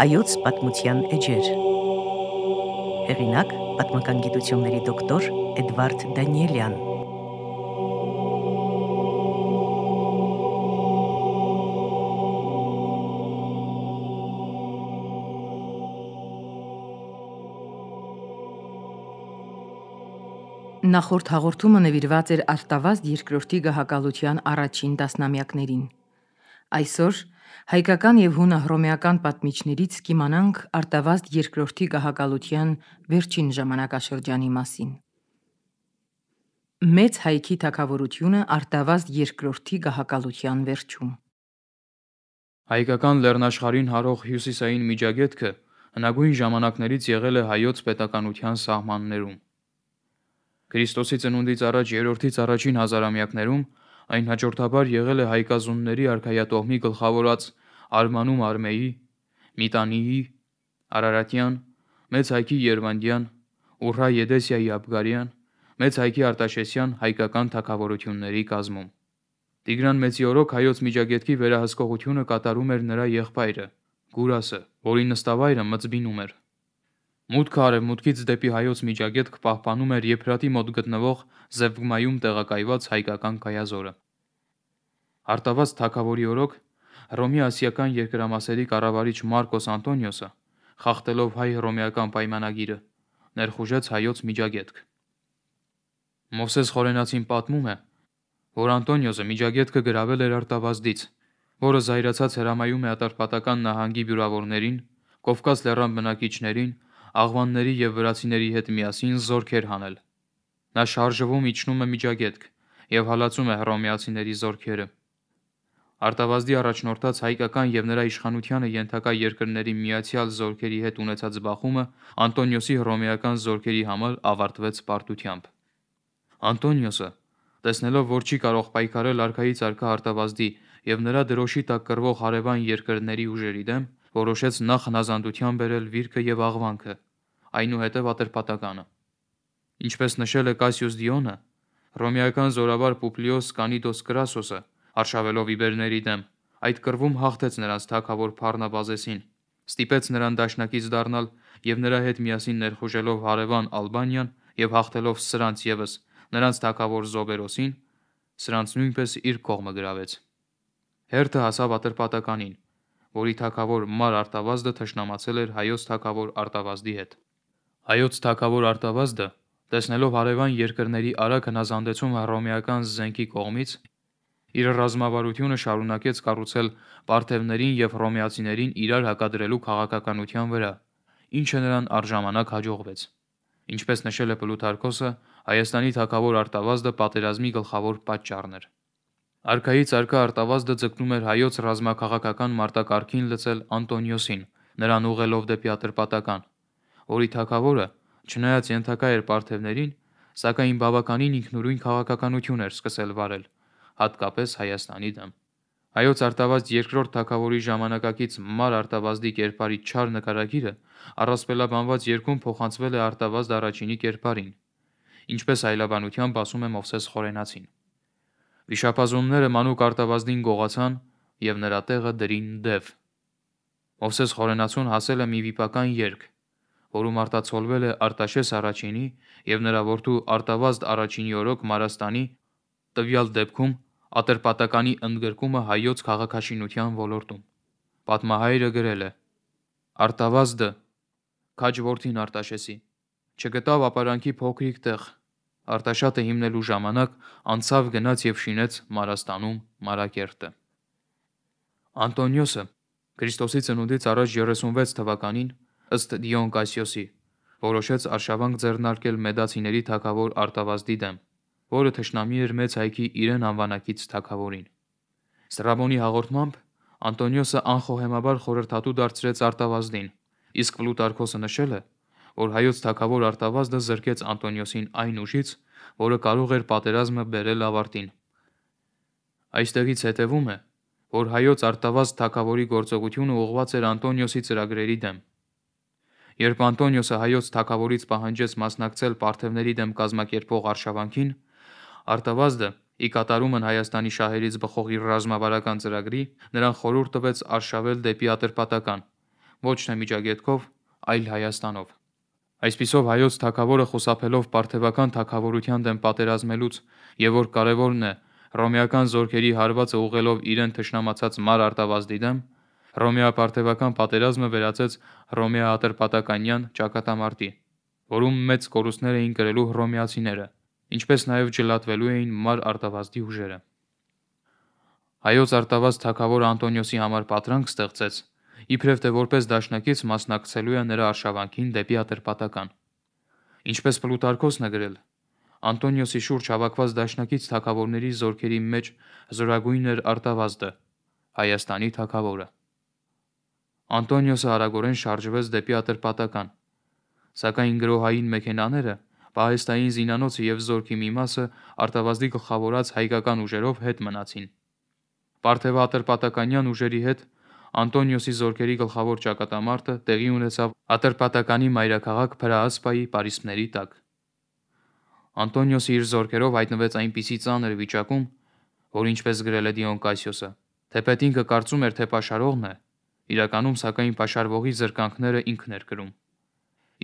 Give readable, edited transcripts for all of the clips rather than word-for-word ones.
Հայոց պատմության էջեր։ Հեղինակ պատմական գիտությունների դոկտոր Էդվարդ Դանիելյան։ Նախորդ հաղորդումը նվիրված էր Արտավազդ երկրորդի գահակալության առաջին տասնամյակներին։ Այսօր հայկական եւ հունահռոմեական պատմիչներից կիմանանք Արտավազդ երկրորդի գահակալության վերջին ժամանակաշրջանի մասին։ Մեծ հայքի թագավորությունը Արտավազդ երկրորդի գահակալության վերջում։ Հայկական լեռնաշխարհին հարող հյուսիսային միջագետքը հնագույն ժամանակներից եղել է հայոց պետականության սահմաններում։ Քրիստոսի ծնունդից առաջ երրորդից առաջին հազարամյակներում այն հաջորդաբար եղել է հայկազունների արքայատոհմի գլխավորած Արմանում Արմեի, Միտանիի, Արարատյան, Մեծ հայքի Երվանդյան, Ուրհա Եդեսիայի Աբգարյան, Մեծ հայքի Արտաշեսյան հայկական թագավորությունների կազմում։ Տիգրան Մեծի օրոք հայոց միջագետքի վերահսկողությունը կատարում էր նրա եղբայրը Գուրասը, որի նստավայրը Մծբինում էր։ Մուտքը արևմուտքից դեպի հայոց միջագետք պահպանում էր Եփրատի մոտ գտնվող Զևգմայում տեղակայված հայկական կայազորը։ Արտավազդ թագավորի օրոք Հռոմի ասիական երկրամասերի կառավարիչ Մարկոս Անտոնիոսը, խախտելով հայ-հռոմեական պայմանագիրը, ներխուժեց հայոց միջագետք։ Մովսես Խորենացին պատմում է, որ Անտոնիոսը միջագետքը գրավել էր Արտավազդից, որը զայրացած հրամայում է Ատրպատական նահանգի բյուրավորներին, Կովկաս լեռան բնակիչներին, աղվանների եւ վրացիների հետ միասին զորքեր հանել։ Նա շարժվում իջնում է միջագետք եւ հալածում է հռոմեացիների զորքերը։ Արտավազդի առաջնորդած հայկական եւ նրա իշխանությանը ենթակա երկրների միացյալ զորքերի հետ ունեցած բախումը Անտոնիոսի հռոմեական զորքերի համար ավարտվեց պարտությամբ։ Անտոնիոսը, տեսնելով, որ չի կարող պայքարել արքայից արքա Արտավազդի եւ նրա դրոշի տակ կռվող հարևան երկրների ուժերի դեմ, որոշեց նախ հնազանդության բերել Վիրքը եւ Աղվանքը, այնուհետև Ատրպատականը։ Ինչպես նշել է Կասիուս Դիոնը, հռոմեական զորավար Պուպլիոս Կանիդոս Կրասոսը, արշավելով իբերների դեմ, այդ կռվում հաղթեց նրանց թագավոր Փառնաբազեսին, ստիպեց նրան դաշնակից դառնալ եւ նրա հետ միասին ներխուժելով հարևան Ալբանիան եւ հաղթելով սրանց եւս նրանց թագավոր Զոբերոսին, սրանց նույնպես իր կողմը գրավեց։ Հերթը հասավ Ատրպատականին, որի թագավոր Մար Արտավազդը թշնամացել էր հայոց թագավոր Արտավազդի հետ։ Հայոց թագավոր Արտավազդը, տեսնելով հարևան երկրների արագ հնազանդեցում հռոմեական զենքի կողմից, իր ռազմավարությունը շարունակեց կառուցել պարթևներին եւ հռոմեացիներին իրար հակադրելու քաղաքականության վրա, ինչը նրան առժամանակ հաջողվեց։ Ինչպես նշել է Պլութարքոսը, Հայաստանի թագավոր Արտավազդը պատերազմի գլխավոր պատճառն էր։ Արքայից արքա Արտավազդը ձգտում էր հայոց ռազմաքաղաքական մարտակարգին լցել Անտոնիոսին, նրան ուղղելով դեպի Ատրպատական, որի թագավորը, չնայած ենթակա էր պարթևներին, սակայն բավականին ինքնուրույն քաղաքականություն էր սկսել վարել, հատկապես Հայաստանի դեմ։ Հայոց Արտավազդ երկրորդ թագավորի ժամանակակից Մար Արտավազդի կերպարի չար նկարագիրը առասպելաբանված երգում փոխանցվել է Արտավազդ առաջինի կերպարին, ինչպես այլաբանությամբ ասում է Մովսես Խորենացին։ Վիշապազունները մանուկ Արտավազդին գողացան եւ նրա տեղը դրին Դև։ Մովսես Խորենացուն հասել է մի վիպական երգ, որում արտացոլվել է Արտաշես առաջինի եւ նրա որդու Արտավազդ առաջինի օրոք Մարաստանի, տվյալ դեպքում Ատրպատականի ընդգրկումը հայոց քաղաքաշինության ոլորտում։ Պատմահայրը գրել է. Արտավազդը, քաջ որդին Արտաշեսի, չգտավ ապարանքի փոքրիկ տեղ, Արտաշատը հիմնելու ժամանակ անցավ գնաց եւ շինեց Մարաստանում Մարակերտը։ Անտոնիոսը Քրիստոսի ծնունդից առաջ 36 թվականին, ըստ Դիոն Կասիոսի, որոշեց արշավանք ձեռնարկել մեդացիների թագավոր Արտավազդի դեմ, որը թշնամի էր մեծ հայքի իրեն անվանակից թագավորին։ Ստրաբոնի հաղորդմամբ Անտոնիոսը անխոհեմաբար խորհրդատու դարձրեց Արտավազդին, իսկ Պլուտարքոսը նշել է, որ հայոց թագավոր Արտավազդը զրկեց Անտոնիոսին այն ուժից, որը կարող էր պատերազմը բերել ավարտին։ Այստեղից հետևում է, որ հայոց Արտավազդ թագավորի գործողությունը ուղղված էր Անտոնիոսի ծրագրերի դեմ։ Երբ Անտոնիոսը հայոց թագավորից պահանջեց մասնակցել պարթևների դեմ կազմակերպող արշավանքին, Արտավազդը, ի կատարումն Հայաստանի շահերից բխող իր ռազմավարական ծրագրի, նրան խորհուրդ տվեց արշավել դեպի Ատրպատական, ոչ թե Միջագետքով, այլ Հայաստանով։ Այսպիսով հայոց թագավորը խուսափելով պարթևական թագավորության դեմ պատերազմելուց եւ որ կարևորն է հռոմեական զորքերի հարվածը ուղղելով իրեն թշնամացած Մար Արտավազդի դեմ, հռոմեա-պարթևական պատերազմը վերածեց հռոմեա-ատրպատականյան ճակատամարտի, որում մեծ կորուստներ էին կրելու հռոմեացիները, ինչպես նաև ջլատվելու էին Մար Արտավազդի ուժերը։ Հայոց Արտավազդ թագավորը Անտոնիոսի համար պատրանք ստեղծեց, իբրև թե որպես դաշնակից մասնակցելու է նրա արշավանքին դեպի Ատրպատական։ Ինչպես Պլուտարքոսն է գրել, Անտոնիոսի շուրջ հավաքված դաշնակից թագավորների զորքերի մեջ զորագույնն էր Արտավազդը, Հայաստանի թագավորը։ Անտոնիոսը արագորեն շարժվեց դեպի Ատրպատական, սակայն գրոհային մեքենաները, պահեստային զինանոցը եւ զորքի մի մասը Արտավազդի գլխավորած հայկական ուժերով հետ մնացին։ Պարթեვა-ատրպատականյան ուժերի հետ Անտոնիոսի զորքերի գլխավոր ճակատամարտը տեղի ունեցավ Ատրպատականի մայրաքաղաք Փրաասպայի պարիսպների տակ։ Անտոնիոսը իր զորքերով հայտնվեց այնպիսի ծանր վիճակում, որ ինչպես գրել է Դիոն Կասիոսը, թեպետինքը կարծում էր, թե պաշարողն է, իրականում սակայն պաշարվողի զրկանքները ինքն էր կրում։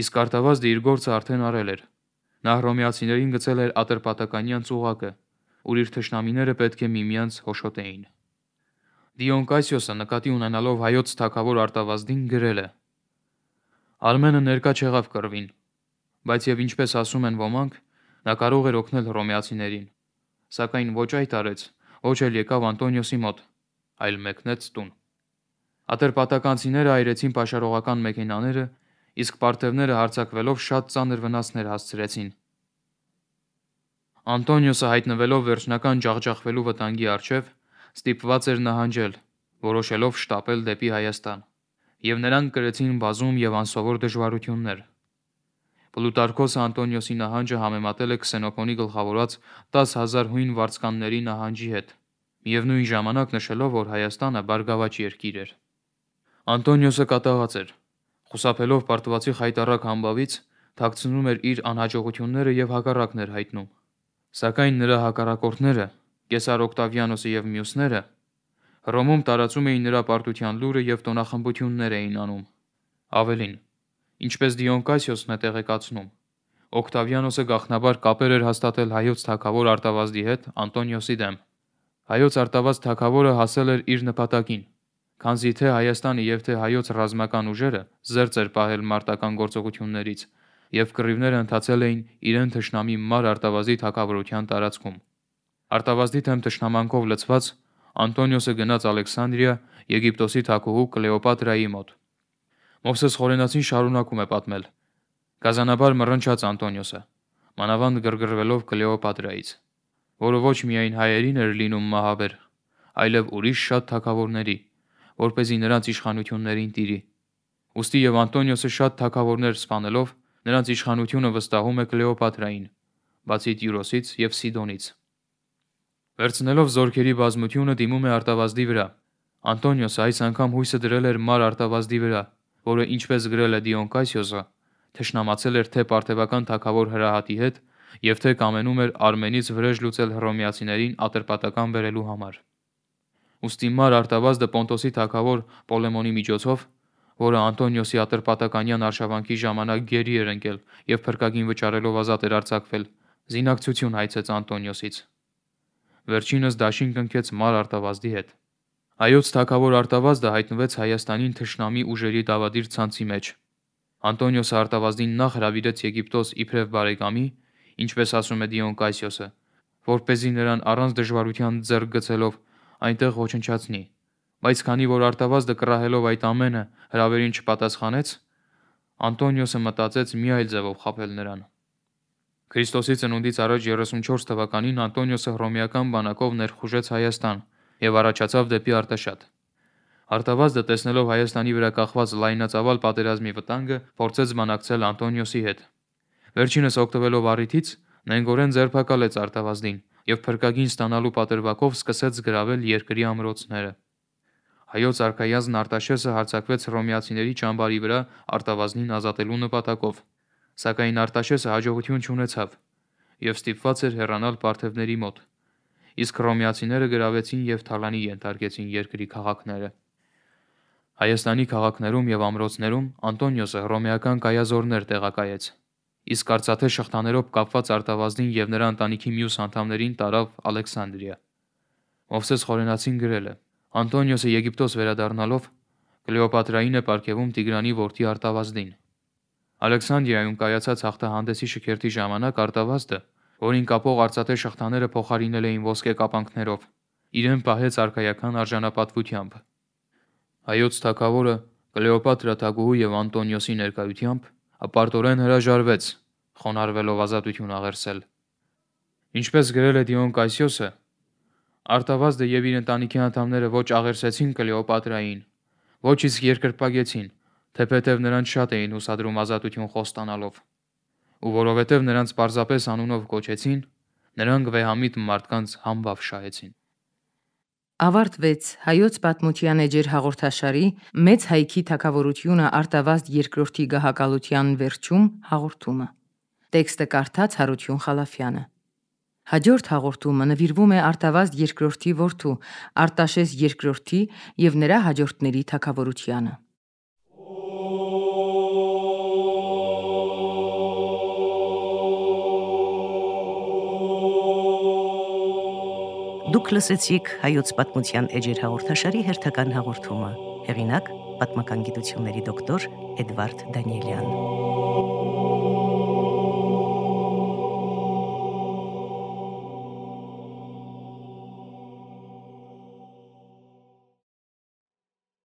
Իսկ Արտավազդը իր գործը արդեն արել էր։ Նա հռոմեացիներին գցել էր Ատրպատականյան ծուղակը, ուր իր թշնամիները պետք է միմյանց հոշոտեին։ Դիոն Կասիոսը նկատի ունենալով հայոց թագավոր Արտավազդին գրել է. Արմենը ներկա չեղավ կռվին, բայց եւ ինչպես ասում են ոմանք, նա կարող էր օգնել հռոմեացիներին, սակայն ոչ այդ արեց, ոչ էլ եկավ Անտոնիոսի մոտ, այլ մեկնեց տուն։ Ատրպատականցիները այրեցին պաշարողական մեքենաները, իսկ պարթևները հարձակվելով շատ ծանր վնասներ հասցրեցին։ Անտոնիոսը հայտնվելով վերջնական ջախջախվելու վտանգի առջև, ստիպված էր նահանջել, որոշելով շտապել դեպի Հայաստան, եւ նրան կրեցին բազում եւ անսովոր դժվարություններ։ Պլուտարքոսը Անտոնիոսի նահանջը համեմատել է Քսենոփոնի գլխավորած 10,000 հույն վարձկանների նահանջի հետ, միևնույն ժամանակ նշելով, որ Հայաստանը բարգավաճ երկիր էր։ Անտոնիոսը կատաղած էր, խուսափելով պարտվածի խայտառակ համբավից, թաքցնում էր իր անհաջողությունները եւ հակառակներ հայտնում։ Սակայն նրա հակառակորդները, Կեսար Օկտավիանոսը եւ մյուսները, Հռոմում տարածում էին նրա պարտության լուրը եւ տոնախմբություններ էին անում։ Ավելին, ինչպես Դիոն Կասիոսն է տեղեկացնում, Օկտավիանոսը գաղտնաբար կապեր էր հաստատել հայոց թագավոր Արտավազդի հետ Անտոնիոսի դեմ։ Հայոց Արտավազդ թագավորը հասել էր իր նպատակին, քանզի թե Հայաստանը եւ թե հայոց ռազմական ուժերը զերծ էր պահել մարտական գործողություններից եւ կռիվները ընթացել էին իրեն թշնամի Մար Արտավազդի թագավորության տարածքում։ Արտավազդի դեմ թշնամանքով լցված Անտոնիոսը գնաց Ալեքսանդրիա Եգիպտոսի թագուհու Կլեոպատրայի մոտ։ Մովսես Խորենացին շարունակում է պատմել. Գազանաբար մռնչաց Անտոնիոսը, մանավանդ գրգռվելով Կլեոպատրայից, որը ոչ միայն հայերին էր լինում մահաբեր, այլև ուրիշ շատ թագավորների, որպեսզի նրանց իշխանություններին տիրի։ Ուստի եւ Անտոնիոսը շատ թագավորներ սպանելով, նրանց իշխանությունը վստահում է Կլեոպատրային, բացի Տյուրոսից եւ Սիդոնից։ Վերցնելով զորքերի բազմությունը դիմում է Արտավազդի վրա։ Անտոնիոսը այս անգամ հույսը դրել էր Մար Արտավազդի վրա, որը ինչպես գրել է Դիոն Կասիոսը, թշնամացել էր թե պարթևական թագավոր Հրահատի հետ եւ թե կամենում էր Արմենից վրեժ լուծել հռոմեացիներին Ատրպատական բերելու համար։ Ուստի Մար Արտավազդը Պոնտոսի թագավոր Պոլեմոնի միջոցով, որը Անտոնիոսի Ատրպատականյան արշավանքի ժամանակ գերի էր ընկել եւ փրկագին վճարելով ազատ էր արձակվել, զինակցություն հայցեց Անտոնիոսից։ Վերջինս դաշին կնքեց Մար Արտավազդի հետ։ Հայոց թագավոր Արտավազդը հայտնվեց Հայաստանին թշնամի ուժերի դավադիր ցանցի մեջ։ Անտոնիոսը Արտավազդին նախ հրավիրեց Եգիպտոս իբրև բարեկամի, ինչպես ասում է Դիոն Կասիոսը, որպեսզի նրան առանց դժվարության ձեռք գցելով այնտեղ ոչնչացնի, բայց քանի որ Արտավազդը կռահելով այդ ամենը հրավերին չպատասխանեց, Անտոնիոսը մտածեց մի այլ ձևով խաբել նրան։ Քրիստոսի ծնունդից առաջ 34 թվականին Անտոնիոսը հռոմեական բանակով ներխուժեց Հայաստան եւ առաջացավ դեպի Արտաշատ։ Արտավազդը տեսնելով Հայաստանի վրա կախված լայնածավալ պատերազմի վտանգը, փորձեց բանակցել Անտոնիոսի հետ։ Վերջինս օգտվելով առիթից, նենգորեն ձերբակալեց Արտավազդին եւ փրկագին ստանալու պատրվակով սկսեց գրավել երկրի ամրոցները։ Հայոց արքայազն Արտաշեսը հարձակվեց հռոմեացիների ճամբարի վրա Արտավազդին ազատելու նպատակով, սակայն Արտաշեսը հաջողություն չունեցավ եւ ստիպված էր հեռանալ պարթևների մոտ, իսկ հռոմեացիները գրավեցին եւ թալանի ենթարկեցին երկրի քաղաքները։ Հայաստանի քաղաքներում եւ ամրոցներում Անտոնիոսը հռոմեական կայազորներ տեղակայեց, իսկ արծաթե շղթաներով կապված Արտավազդին եւ նրա ընտանիքի մյուս անդամներին տարավ Ալեքսանդրիա։ Մովսես Խորենացին գրել է. Անտոնիոսը Եգիպտոս վերադառնալով Կլեոպատրային է պարգևում Տիգրանի որդի Արտավազդին։ Ալեքսանդրիայում կայացած հաղթահանդեսի շքերթի ժամանակ Արտավազդը, որին կապող արծաթե շղթաները փոխարինել էին ոսկե կապանքներով, իրեն պահեց արքայական արժանապատվությամբ։ Հայոց թագավորը Կլեոպատրա թագուհու եւ Անտոնիոսի ներկայությամբ ապարտորեն հրաժարվեց, խոնարհվելով ազատություն աղերսել։ Ինչպես գրել է Դիոն Կասիոսը, Արտավազդը եւ իր ընտանիքի անդամները ոչ աղերսեցին Կլեոպատրային, ոչ իսկ երկրպագեցին, թեպետև նրանց շատ էին հուսադրում ազատություն խոստանալով, ու որովհետև նրանց պարզապես անունով կոչեցին, նրանք վեհամիտ մարդկանց համբավ շահեցին։ Ավարտվեց Հայոց պատմության էջեր հաղորդաշարի Մեծ հայքի թագավորությունը Արտավազդ II գահակալության վերջում հաղորդումը։ Տեքստը կարդաց Հարություն Խալափյանը։ Հաջորդ հաղորդումը նվիրվում է Արտավազդ II որդու Արտաշես II եւ նրա հաջորդների թագավորությանը։ Դուք լսեցիք Հայոց պատմության էջեր հաղորդաշարի հերթական հաղորդումը։ Հեղինակ՝ պատմական գիտությունների դոկտոր Էդվարդ Դանիելյան։